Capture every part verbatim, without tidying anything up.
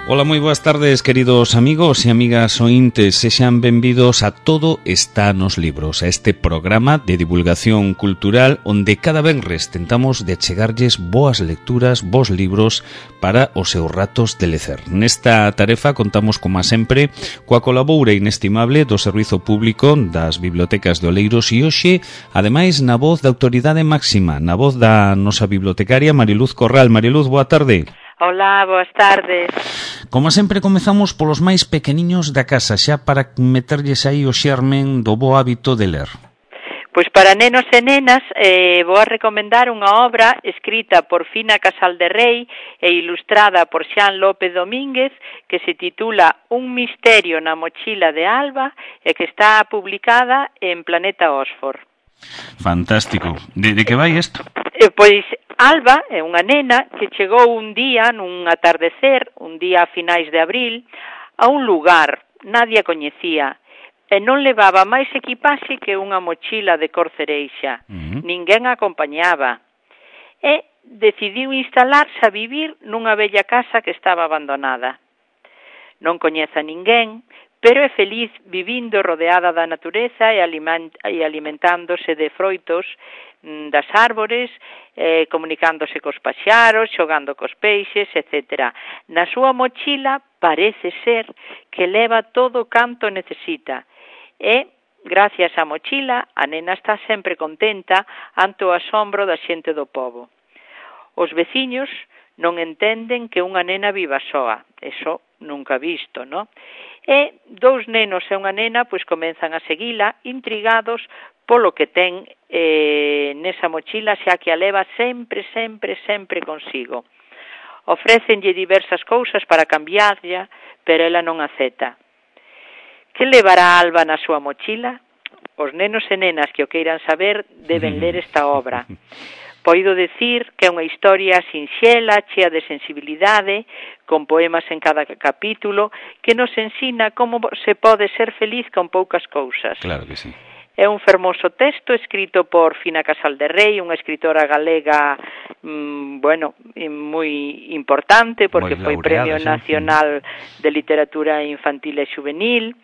Ola, moi boas tardes, queridos amigos e amigas ointes. Sexan benvidos a Todo está nos libros, a este programa de divulgación cultural onde cada venres tentamos de chegarlles boas lecturas, bons libros para os seus ratos de lecer. Nesta tarefa contamos, como sempre, coa colaboura inestimable do Servizo Público das Bibliotecas de Oleiros e hoxe, ademais, na voz da autoridade máxima, na voz da nosa bibliotecaria Mariluz Corral. Mariluz, boa tarde. Hola, boas tardes. Como sempre, comezamos polos máis pequeniños da casa, xa para meterlles aí o xermen do bo hábito de ler. Pois para nenos e nenas eh, vou a recomendar unha obra escrita por Fina Casal de Rei e ilustrada por Xan López Domínguez que se titula Un misterio na mochila de Alba e que está publicada en Planeta Oxford. Fantástico. De, de que vai isto? Eh, pois Alba é unha nena que chegou un día, nun atardecer, un día a finais de abril, a un lugar, nadie a coñecía, e non levaba máis equipaxe que unha mochila de cor cereixa. Uh-huh. Ninguén a acompañaba. E decidiu instalarse a vivir nunha bella casa que estaba abandonada. Non coñece a ninguén, pero é feliz vivindo rodeada da natureza e, aliment e alimentándose de froitos das árbores, eh, comunicándose cos paxaros, xogando cos peixes, etcétera. Na súa mochila parece ser que leva todo canto necesita. E, gracias á mochila, a nena está sempre contenta ante o asombro da xente do pobo. Os veciños non entenden que unha nena viva soa. Eso nunca visto, non? E dous nenos e unha nena pois comenzan a seguila intrigados polo que ten eh, nesa mochila, xa que a leva sempre, sempre, sempre consigo. Ofrécenlle diversas cousas para cambiarlla, pero ela non acepta. Que levará Alba na súa mochila? Os nenos e nenas que o queiran saber deben ler esta obra. Poido decir que é unha historia sinxela, chea de sensibilidade, con poemas en cada capítulo, que nos ensina como se pode ser feliz con poucas cousas. Claro que sí. É un fermoso texto escrito por Fina Casal de Rei, unha escritora galega, mmm, bueno, moi importante, porque foi Premio Nacional de Literatura Infantil e Juvenil,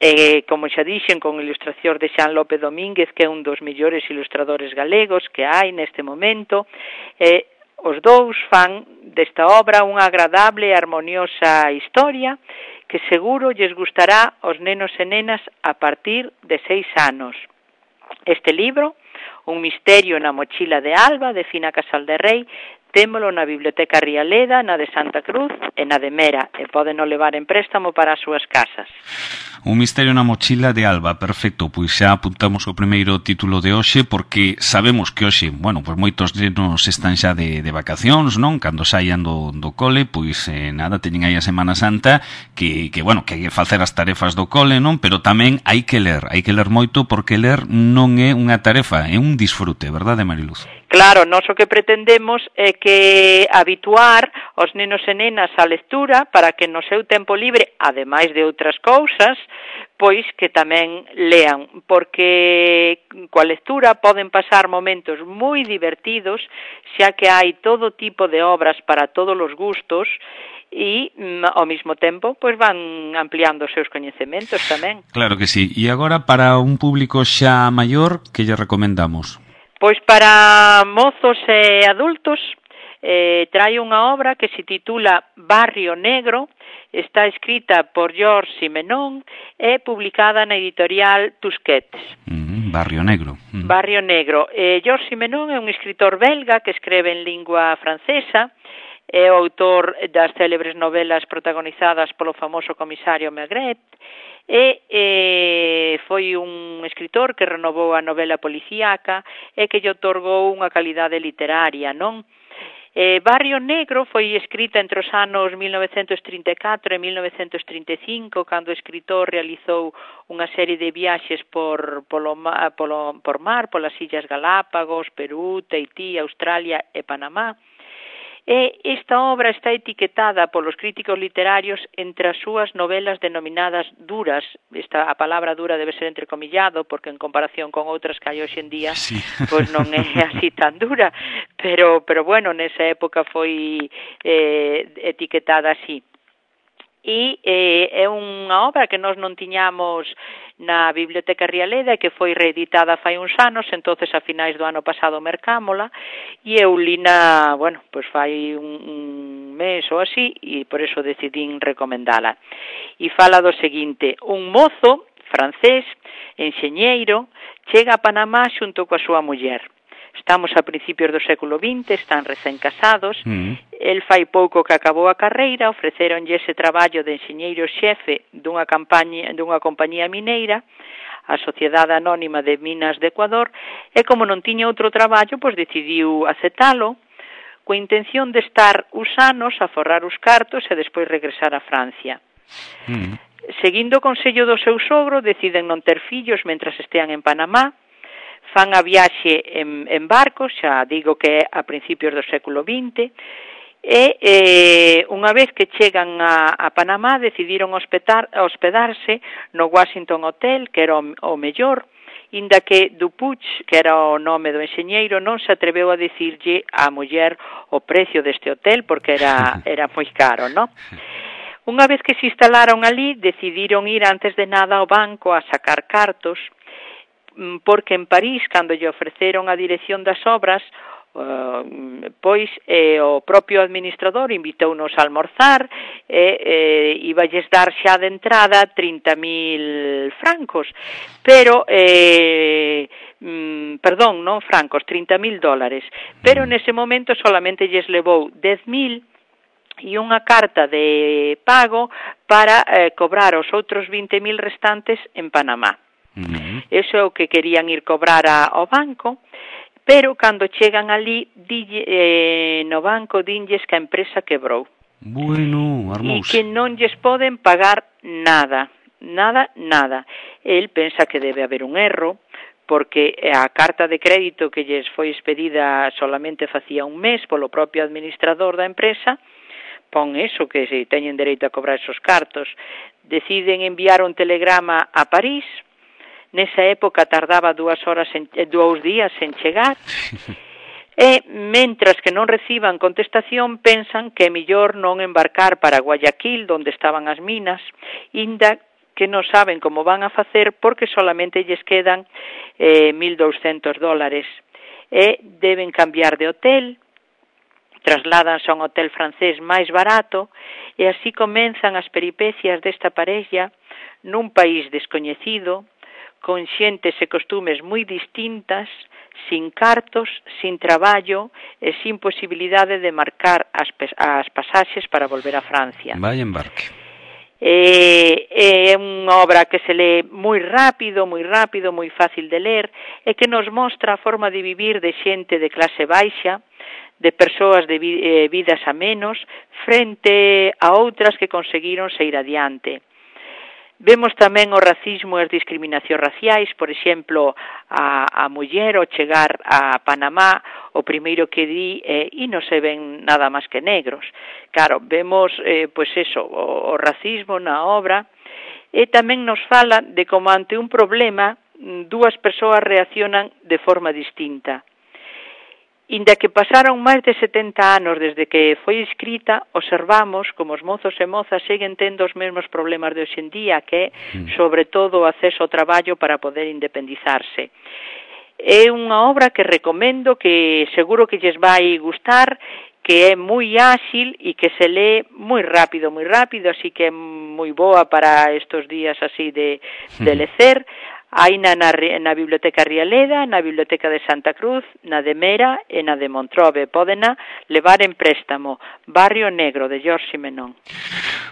e, como xa dixen, con ilustración de Xan López Domínguez, que é un dos mellores ilustradores galegos que hai neste momento. E os dous fan desta obra unha agradable e armoniosa historia que seguro lles gustará aos nenos e nenas a partir de seis anos. Este libro, Un misterio na mochila de Alba, de Fina Casal de Rei, témolo na Biblioteca Rialeda, na de Santa Cruz e na de Mera, e pódeno levar en préstamo para as súas casas. Un misterio na mochila de Alba, perfecto, pois xa apuntamos o primeiro título de hoxe, porque sabemos que hoxe, bueno, pois moitos nenos están xa de, de vacacións, non? Cando saian do, do cole, pois eh, nada, teñen aí a Semana Santa, que, que bueno, que hai que facer as tarefas do cole, non? Pero tamén hai que ler, hai que ler moito, porque ler non é unha tarefa, é un disfrute, verdade, Mariluz? Claro, nós o que pretendemos é que habituar os nenos e nenas á lectura para que no seu tempo libre, ademais de outras cousas, pois que tamén lean, porque coa lectura poden pasar momentos moi divertidos, xa que hai todo tipo de obras para todos os gustos e, ao mesmo tempo, pois van ampliando os seus coñecementos tamén. Claro que sí. E agora, para un público xa maior, que lle recomendamos? Pois para mozos e adultos eh, trae unha obra que se titula Barrio Negro, está escrita por George Simenon e publicada na editorial Tusquets. Mm, Barrio Negro. Mm. Barrio Negro. Eh, George Simenon é un escritor belga que escreve en lingua francesa, é o autor das célebres novelas protagonizadas polo famoso comisario Maigret, e eh, foi un escritor que renovou a novela policíaca e que lle otorgou unha calidade literaria, non? Eh, Barrio Negro foi escrita entre os anos mil novecentos trinta e catro e mil novecentos trinta e cinco, cando o escritor realizou unha serie de viaxes por, polo, polo, por mar, polas Illas Galápagos, Perú, Tahití, Australia e Panamá. E esta obra está etiquetada polos críticos literarios entre as súas novelas denominadas duras. Esta, a palabra dura debe ser entrecomillado, porque en comparación con outras que hai hoxe en día, sí, pois non é así tan dura, pero, pero bueno, nesa época foi eh, etiquetada así. e eh, é unha obra que nós non tiñamos na Biblioteca Rialeda e que foi reeditada fai uns anos, entonces a finais do ano pasado mercámola, e eu lina, bueno, pois fai un, un mes ou así, e por eso decidín recomendala. E fala do seguinte: un mozo francés, enxeñeiro, chega a Panamá xunto coa súa muller. Estamos a principios do século vinte, están recén casados, mm. el fai pouco que acabou a carreira, ofreceronlle ese traballo de enxeñeiro xefe dunha, campaña, dunha compañía mineira, a Sociedade Anónima de Minas de Ecuador, e como non tiña outro traballo, pois decidiu aceptalo, coa intención de estar uns anos a forrar os cartos e despois regresar a Francia. Mm. Seguindo o consello do seu sogro, deciden non ter fillos mentras estean en Panamá, fan a viaxe en, en barco, xa digo que é a principios do século vinte, e eh, unha vez que chegan a, a Panamá decidiron hospedar, hospedarse no Washington Hotel, que era o, o mellor, inda que Dupuch, que era o nome do enxeñeiro, non se atreveu a dicirlle á muller o precio deste hotel, porque era, era moi caro, non? Unha vez que se instalaron ali, decidiron ir antes de nada ao banco a sacar cartos, porque en París, cando lle ofreceron a dirección das obras, uh, pois eh, o propio administrador invitounos a almorzar e eh, iballes dar xa de entrada trinta mil francos, pero, eh, mm, perdón, non francos, trinta mil dólares, pero nese momento solamente lles levou dez mil e unha carta de pago para eh, cobrar os outros vinte mil restantes en Panamá. Uh-huh. Eso é o que querían ir cobrar a, ao banco, pero cando chegan ali dille, eh, no banco dinlles que a empresa quebrou. Bueno, armouse. E que non lles poden pagar nada, nada, nada. El pensa que debe haber un erro, porque a carta de crédito que lles foi expedida solamente facía un mes polo propio administrador da empresa, pon eso, que se teñen dereito a cobrar esos cartos. Deciden enviar un telegrama a París. Nesa época tardaba dúas horas en, dous días en chegar, e mentras que non reciban contestación pensan que é mellor non embarcar para Guayaquil, onde estaban as minas, inda que non saben como van a facer porque solamente lles quedan eh, mil douscentos dólares, e deben cambiar de hotel, trasládanse a un hotel francés máis barato, e así comenzan as peripecias desta parella nun país descoñecido, con xentes e costumes moi distintas, sin cartos, sin traballo e sin posibilidade de marcar as, as pasaxes para volver a Francia. Vai embarque. É, é unha obra que se lee moi rápido, moi rápido, moi fácil de ler, e que nos mostra a forma de vivir de xente de clase baixa, de persoas de vidas a menos, frente a outras que conseguiron sair adiante. Vemos tamén o racismo e as discriminacións raciais, por exemplo, a, a muller ao chegar a Panamá, o primeiro que di é, e non se ven nada máis que negros. Claro, vemos, eh, pois eso, o, o racismo na obra, e tamén nos fala de como ante un problema dúas persoas reaccionan de forma distinta. Inda que pasaron máis de setenta anos desde que foi escrita, observamos como os mozos e mozas seguen tendo os mesmos problemas de hoxendía, que é, sobre todo, o acceso ao traballo para poder independizarse. É unha obra que recomendo, que seguro que lles vai gustar, que é moi áxil e que se lee moi rápido, moi rápido, así que é moi boa para estos días así de, de lecer. Hai na, na, na Biblioteca Rialeda, na Biblioteca de Santa Cruz, na de Mera e na de Montrobe. Pódena levar en préstamo. Barrio Negro, de Jorge Simenón.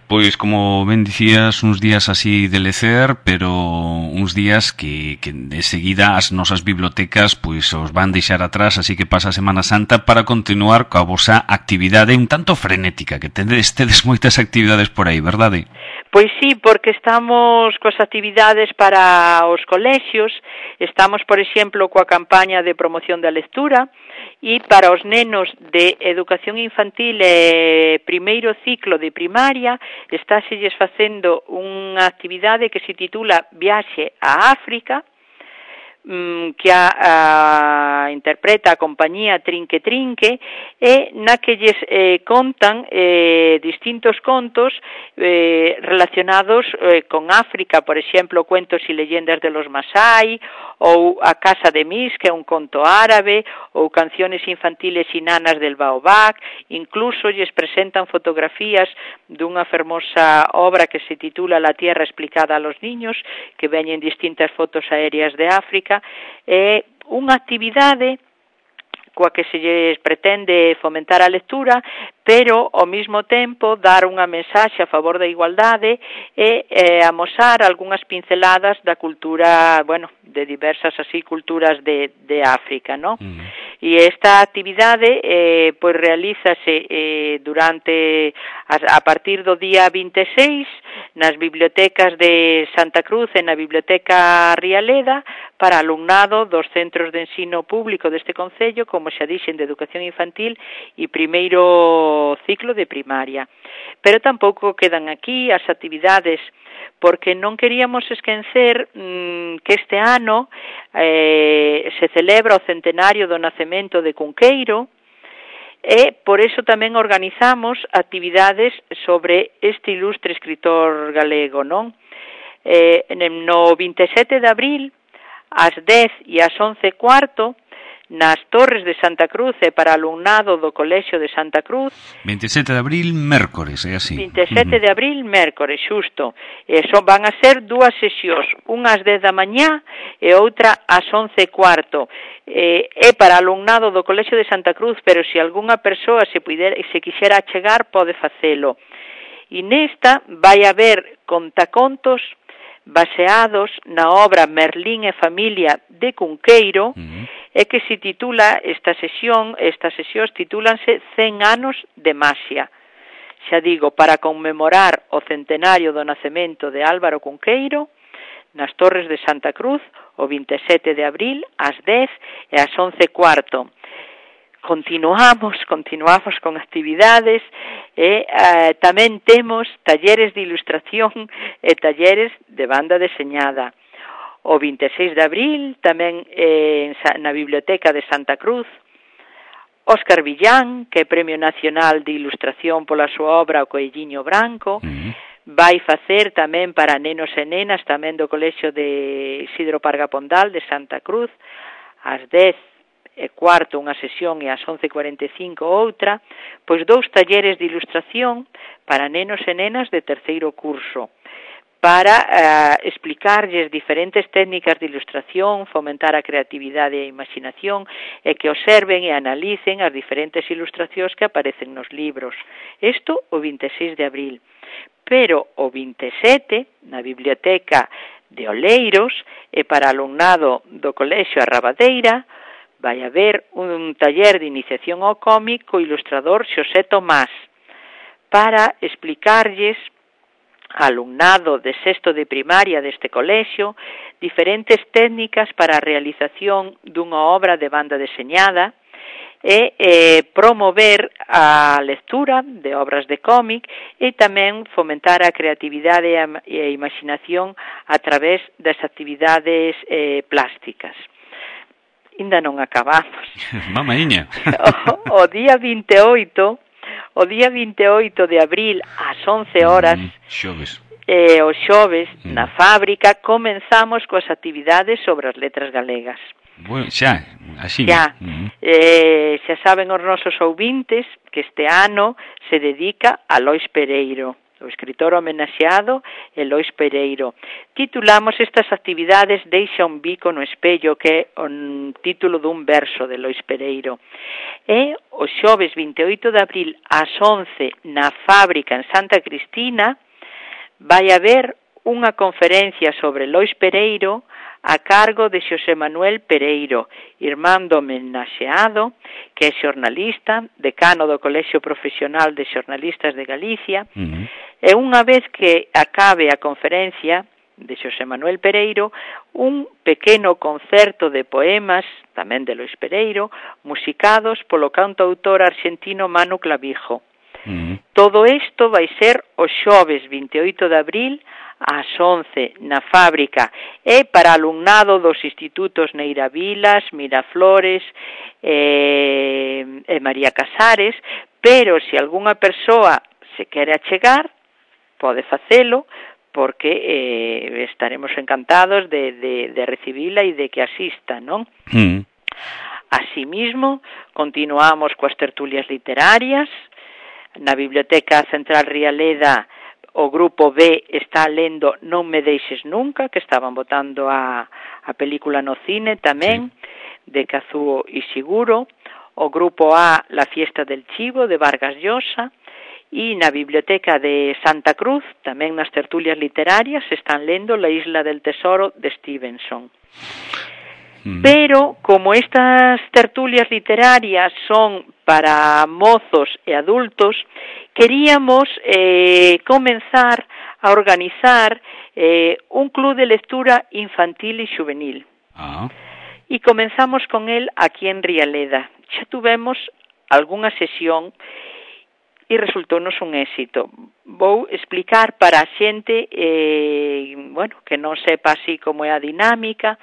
Pois, como ben dicías, uns días así de lecer, pero uns días que, que de seguida as nosas bibliotecas pois os van deixar atrás, así que pasa a Semana Santa para continuar coa vosa actividade un tanto frenética, que tedes, tedes moitas actividades por aí, verdade? Pois sí, porque estamos coas actividades para os colexios, estamos, por exemplo, coa campaña de promoción da lectura, e para os nenos de educación infantil e primeiro ciclo de primaria, estáxelles facendo unha actividade que se titula Viaxe a África, mm, que a, a interpreta a compañía Trinque Trinque e na que lles eh, contan eh, distintos contos eh, relacionados eh, con África, por exemplo, cuentos e leyendas de los Masai, ou A Casa de Mis, que é un conto árabe, ou canciones infantiles e nanas del Baobab. Incluso lles presentan fotografías dunha fermosa obra que se titula La Tierra explicada a los niños, que veñen distintas fotos aéreas de África. É unha actividade coa que se lles pretende fomentar a lectura, pero ao mesmo tempo dar unha mensaxe a favor da igualdade e eh, amosar algunhas pinceladas da cultura, bueno, de diversas así culturas de, de África, ¿no? Mm. E esta actividade eh, pois realízase eh, durante a, a partir do día vinte e seis nas bibliotecas de Santa Cruz e na Biblioteca Rialeda para alumnado dos centros de ensino público deste concello, como xa dixen, de educación infantil e primeiro ciclo de primaria. Pero tampouco quedan aquí as actividades, porque non queríamos esquecer mmm, que este ano eh, se celebra o centenario do nacemento de Cunqueiro, e por eso tamén organizamos actividades sobre este ilustre escritor galego, non? Eh, no vinte e sete de abril, ás dez e ás once e cuarto, nas Torres de Santa Cruz e para alumnado do Colexio de Santa Cruz. vinte e sete de abril, mércores, é así. vinte e sete uh-huh. de abril, mércores, xusto. E son, van a ser dúas sesións, unha ás dez da mañá e outra ás once e cuarto. Eh, é para alumnado do Colexio de Santa Cruz, pero se algunha persoa se, puder, se quixera achegar, pode facelo. E nesta vai haber contacontos baseados na obra Merlín e Familia de Cunqueiro, uh-huh. e que se titula esta sesión, estas sesións titúlanse cen anos de Maxia. Xa digo, para conmemorar o centenario do nacemento de Álvaro Cunqueiro, nas Torres de Santa Cruz, o vinte e sete de abril, ás dez e ás once e cuarto. Continuamos, continuamos con actividades e eh, tamén temos talleres de ilustración e talleres de banda deseñada. O vinte e seis de abril, tamén eh, na Biblioteca de Santa Cruz, Óscar Villán, que é Premio Nacional de Ilustración pola súa obra O Coelliño Branco, uh-huh. vai facer tamén para nenos e nenas, tamén do Colexio de Isidro Parga Pondal de Santa Cruz, ás dez e cuarto unha sesión e ás once e cuarenta e cinco outra, pois dous talleres de ilustración para nenos e nenas de terceiro curso, para uh, explicarlles diferentes técnicas de ilustración, fomentar a creatividade e a imaginación e que observen e analicen as diferentes ilustracións que aparecen nos libros. Isto o vinte e seis de abril. Pero o vinte e sete, na Biblioteca de Oleiros, e para alumnado do Colexio Arrabadeira, vai haber un taller de iniciación ao cómic co ilustrador Xosé Tomás, para explicarlles alumnado de sexto de primaria deste colexio diferentes técnicas para a realización dunha obra de banda deseñada e eh, promover a lectura de obras de cómic e tamén fomentar a creatividade e a imaginación a través das actividades eh, plásticas. Ainda non acabamos. Mamaíña. o, o día vinte e oito O día vinte e oito de abril, ás once horas, mm, xoves. Eh, o xoves, mm. na fábrica, comenzamos coas actividades sobre as letras galegas. Bueno, xa, así. Xa, mm. eh, xa saben os nosos ouvintes que este ano se dedica a Lois Pereiro, o escritor homenaxeado é Lois Pereiro. Titulamos estas actividades Deixa un bico no espello, que é o título dun verso de Lois Pereiro. E o xoves vinte e oito de abril ás once na fábrica en Santa Cristina vai haber unha conferencia sobre Lois Pereiro a cargo de Xosé Manuel Pereiro, irmán do homenaxeado, que é xornalista, decano do Colexio Profesional de Xornalistas de Galicia, uh-huh. e unha vez que acabe a conferencia de Xosé Manuel Pereiro, un pequeno concerto de poemas, tamén de Lois Pereiro, musicados polo cantautor argentino Manu Clavijo. Uh-huh. Todo isto vai ser o xoves vinte e oito de abril ás once na fábrica e para alumnado dos institutos Neira Vilas, Miraflores e, e María Casares, pero se algunha persoa se quere achegar, pode facelo, porque eh, estaremos encantados de, de, de recibila e de que asista, non? Mm. Asimismo, continuamos coas tertulias literarias. Na Biblioteca Central Rialeda o grupo B está lendo Non me deixes nunca, que estaban botando a, a película no cine tamén, sí, de Kazuo Ishiguro. O grupo A, La fiesta del chivo, de Vargas Llosa. E na Biblioteca de Santa Cruz, tamén nas tertulias literarias, están lendo La isla del tesoro, de Stevenson. Mm. Pero, como estas tertulias literarias son para mozos e adultos, queríamos eh, comenzar a organizar eh, un club de lectura infantil e juvenil. Ah. E comenzamos con el aquí en Rialeda. Xa tuvemos algunha sesión e resultounos un éxito. Vou explicar para a xente eh, bueno, que non sepa así como é a dinámica,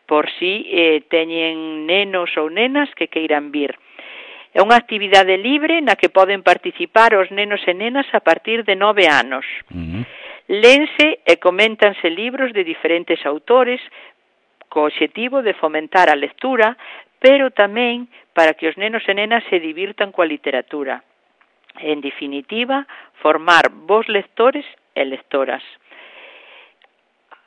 por si eh, teñen nenos ou nenas que queiran vir. É unha actividade libre na que poden participar os nenos e nenas a partir de nove anos. Uh-huh. Lense e coméntanse libros de diferentes autores co obxectivo de fomentar a lectura, pero tamén para que os nenos e nenas se divirtan coa literatura. En definitiva, formar bons lectores e lectoras.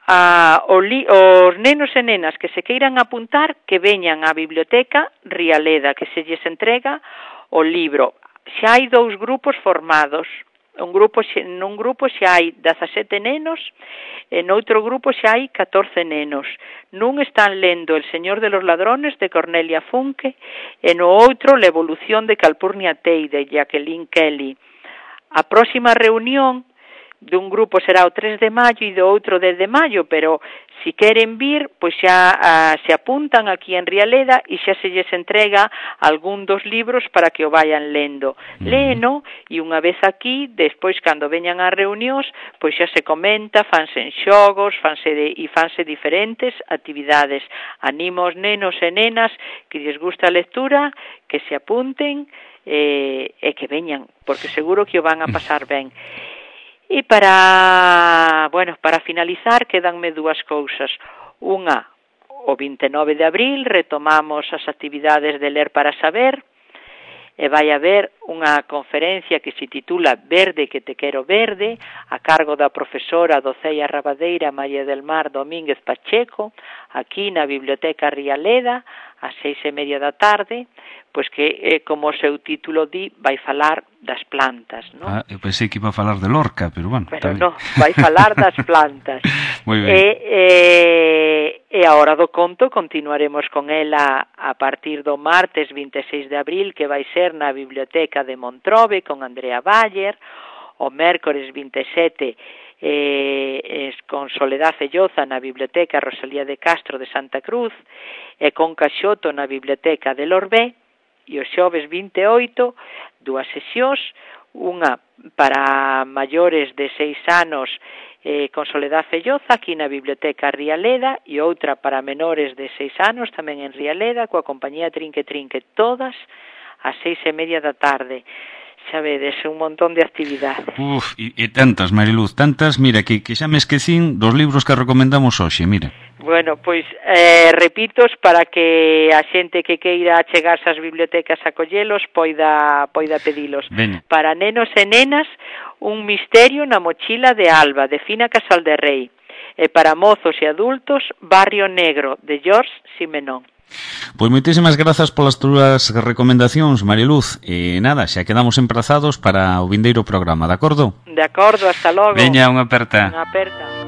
A, o li, os nenos e nenas que se queiran apuntar, que veñan á Biblioteca Rialeda, que se lles entrega o libro. Xa hai dous grupos formados. Un grupo, nun grupo xa hai dezasete nenos e noutro grupo xa hai catorce nenos. Nun están lendo El señor de los ladrones, de Cornelia Funke, e no outro La evolución de Calpurnia Tey, de Jacqueline Kelly. A próxima reunión dun grupo será o tres de maio e do outro dez de maio, pero si queren vir, pois xa ah, se apuntan aquí en Rialeda e xa se lles entrega algún dos libros para que o vayan lendo. Léeno e unha vez aquí, despois cando veñan as reunións, pois xa se comenta, fanse en xogos, fanse de, e fanse diferentes actividades. Animo aos nenos e nenas que lles gusta a lectura, que se apunten eh, e que veñan, porque seguro que o van a pasar ben. E para, bueno, para finalizar, quedanme dúas cousas. Unha, o vinte e nove de abril retomamos as actividades de Ler para Saber e vai haber unha conferencia que se titula Verde que te quero verde, a cargo da profesora Docella Rabadeira María del Mar Domínguez Pacheco, aquí na Biblioteca Rialeda, ás seis e media da tarde, pois que, eh, como o seu título di, vai falar das plantas, non? Ah, eu pensei que iba a falar de Lorca, pero bueno, pero non, vai falar das plantas. Moi ben. E, e, e a hora do conto continuaremos con ela a partir do martes vinte e seis de abril, que vai ser na Biblioteca de Montrobe con Andrea Bayer, o mércores vinte e sete eh, es con Soledad Felloza na Biblioteca Rosalía de Castro de Santa Cruz e con Caxoto na Biblioteca de Lorbé, e o xoves vinte e oito, dúas sesións, unha para maiores de seis anos eh, con Soledad Felloza aquí na Biblioteca Rialeda e outra para menores de seis anos tamén en Rialeda coa compañía Trinque Trinque, todas ás seis e media da tarde. Xa vedes, un montón de actividades. Uf, e, e tantas, Mariluz, tantas, mira, que, que xa me esquecín dos libros que recomendamos hoxe, mira. Bueno, pois, eh, repitos, para que a xente que queira achegarse ás bibliotecas a collelos poida, poida pedilos. Ben. Para nenos e nenas, Un misterio na mochila de Alba, de Fina Casal de Rei. E para mozos e adultos, Barrio Negro, de George Simenon. Pois moitísimas grazas polas túas recomendacións, Mariluz. E nada, xa quedamos emprazados para o vindeiro programa, de acordo? De acordo, hasta logo. Veña, unha aperta. Unha aperta.